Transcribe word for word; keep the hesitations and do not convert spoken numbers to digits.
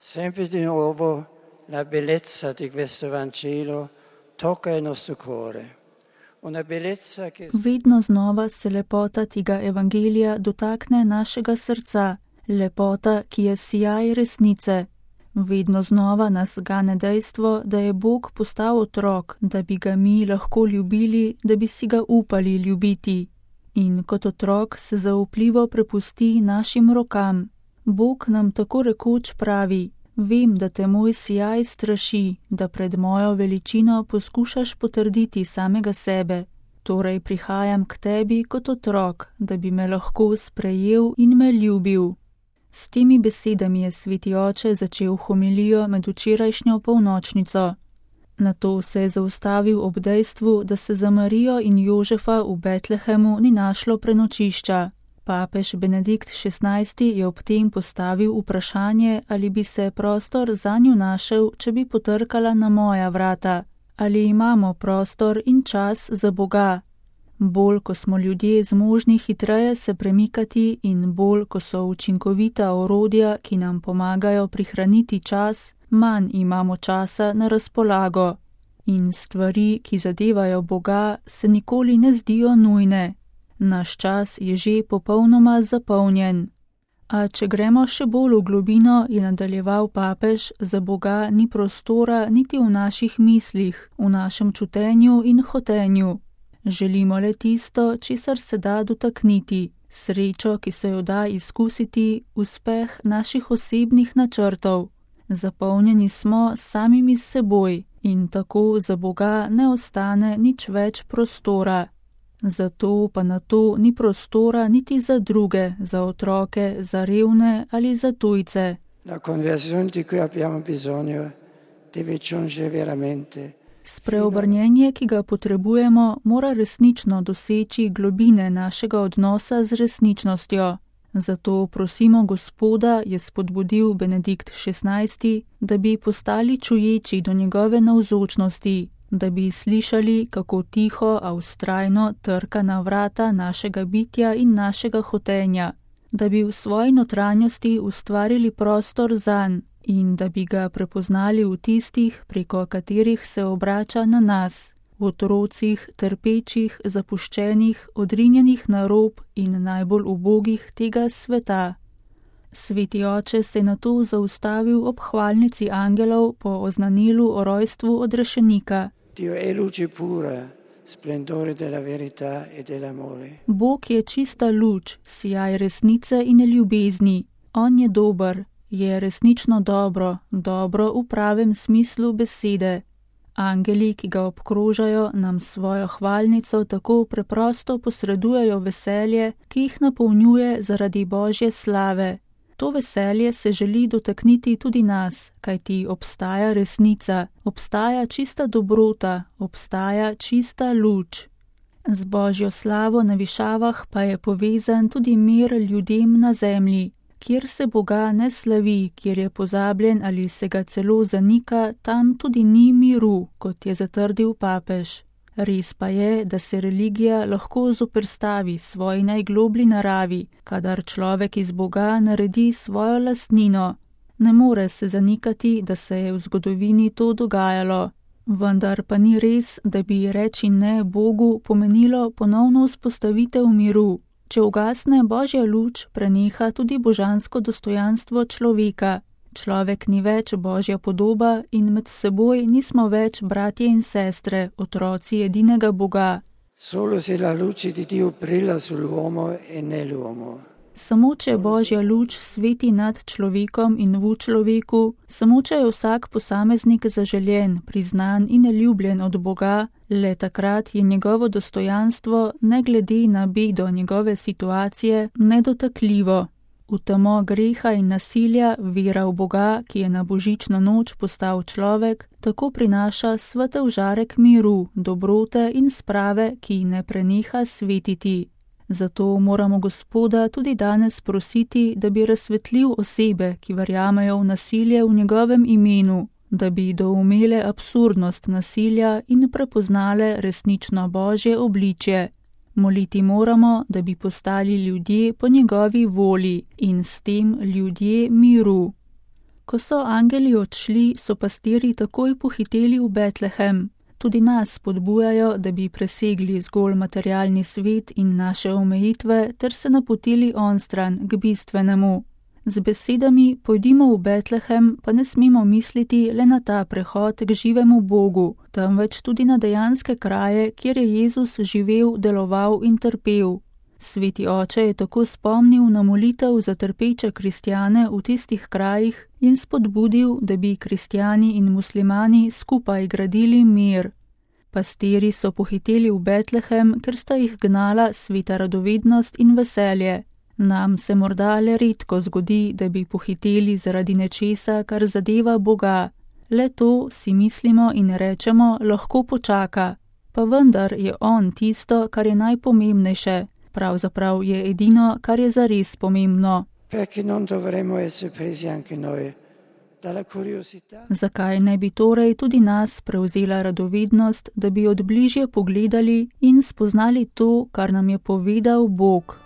Sempre di nuovo la bellezza di questo Vangelo tocca il nostro cuore. Una bellezza che... Vedno znova se lepota tega evangelija dotakne našega srca, lepota, ki je sijaj resnice. Vedno znova nas gane dejstvo, da je Bog postal otrok, da bi ga mi lahko ljubili, da bi si ga upali ljubiti. In kot otrok se zaupljivo prepusti našim rokam. Bog nam tako rekoč pravi: vem, da te moj sijaj straši, da pred mojo veličino poskušaš potrditi samega sebe. Torej prihajam k tebi kot otrok, da bi me lahko sprejel in me ljubil. S temi besedami je sveti oče začel homilijo med včerajšnjo polnočnico. Nato se je zaustavil ob dejstvu, da se za Marijo in Jožefa v Betlehemu ni našlo prenočišča. Papež Benedikt šestnajsti je ob tem postavil vprašanje, ali bi se prostor zanju našel, če bi potrkala na moja vrata. Ali imamo prostor in čas za Boga? Bolj, ko smo ljudje zmožni hitreje se premikati in bolj, ko so učinkovita orodja, ki nam pomagajo prihraniti čas, manj imamo časa na razpolago. In stvari, ki zadevajo Boga, se nikoli ne zdijo nujne. Naš čas je že popolnoma zapolnjen. A če gremo še bolj v globino, je nadaljeval papež, za Boga ni prostora niti v naših mislih, v našem čutenju in hotenju. Želimo le tisto, česar se da dotakniti, srečo, ki se jo da izkusiti, uspeh naših osebnih načrtov. Zapolnjeni smo samimi s seboj in tako za Boga ne ostane nič več prostora. Zato pa na to ni prostora niti za druge, za otroke, za revne ali za tujce. La conversione di cui abbiamo bisogno deve giungere veramente. Spreobrnjenje, ki ga potrebujemo, mora resnično doseči globine našega odnosa z resničnostjo. Zato prosimo Gospoda, je spodbudil Benedikt šestnajsti, da bi postali čuječi do njegove navzočnosti, da bi slišali, kako tiho, a vztrajno trka na vrata našega bitja in našega hotenja, da bi v svoji notranjosti ustvarili prostor zanj in da bi ga prepoznali v tistih, preko katerih se obrača na nas, v otrocih, trpečih, zapuščenih, odrinjenih na rob in najbolj ubogih tega sveta. Sveti oče se je nato zaustavil ob hvalnici angelov po oznanilu o rojstvu odrešenika. Dio è luce pura, splendore della verità e dell'amore. Bog je čista luč, sijaj resnice in ljubezni. On je dober, je resnično dobro, dobro v pravem smislu besede. Angeli, ki ga obkrožajo, nam svojo hvalnico tako preprosto posredujejo veselje, ki jih napolnjuje zaradi Božje slave. To veselje se želi dotakniti tudi nas, kajti obstaja resnica, obstaja čista dobrota, obstaja čista luč. Z Božjo slavo na višavah pa je povezan tudi mir ljudem na zemlji. Kjer se Boga ne slavi, kjer je pozabljen ali se ga celo zanika, tam tudi ni miru, kot je zatrdil papež. Res pa je, da se religija lahko zoperstavi svoji najgloblji naravi, kadar človek iz Boga naredi svojo lastnino. Ne more se zanikati, da se je v zgodovini to dogajalo. Vendar pa ni res, da bi reči ne Bogu pomenilo ponovno vzpostavitev miru. Če ugasne Božja luč, preneha tudi božansko dostojanstvo človeka. Človek ni več Božja podoba in med seboj nismo več bratje in sestre, otroci edinega Boga. Solo se la luce di Dio brilla sull'uomo e nell'uomo. Samo če Božja luč sveti nad človekom in v človeku, samo če je vsak posameznik zaželjen, priznan in ljubljen od Boga, le takrat je njegovo dostojanstvo, ne glede na bedo njegove situacije, nedotakljivo. V temo greha in nasilja vera v Boga, ki je na božično noč postal človek, tako prinaša svetel žarek miru, dobrote in sprave, ki ne preneha svetiti. Zato moramo Gospoda tudi danes prositi, da bi razsvetlil osebe, ki verjamejo v nasilje v njegovem imenu, da bi doumele absurdnost nasilja in prepoznale resnično Božje obličje. Moliti moramo, da bi postali ljudje po njegovi volji in s tem ljudje miru. Ko so angeli odšli, so pastirji takoj pohiteli v Betlehem. Tudi nas spodbujajo, da bi presegli zgolj materialni svet in naše omejitve, ter se napotili onstran k bistvenemu. Z besedami pojdimo v Betlehem pa ne smemo misliti le na ta prehod k živemu Bogu, temveč tudi na dejanske kraje, kjer je Jezus živel, deloval in trpel. Sveti oče je tako spomnil na molitev za trpeče kristjane v tistih krajih in spodbudil, da bi kristjani in muslimani skupaj gradili mir. Pastiri so pohiteli v Betlehem, ker sta jih gnala sveta radovednost in veselje. Nam se morda le redko zgodi, da bi pohiteli zaradi nečesa, kar zadeva Boga. Le to si mislimo in rečemo, lahko počaka. Pa vendar je on tisto, kar je najpomembnejše. Pravzaprav je edino, kar je zares pomembno. Zakaj ne bi torej tudi nas prevzela radovednost, da bi od bližje pogledali in spoznali to, kar nam je povedal Bog?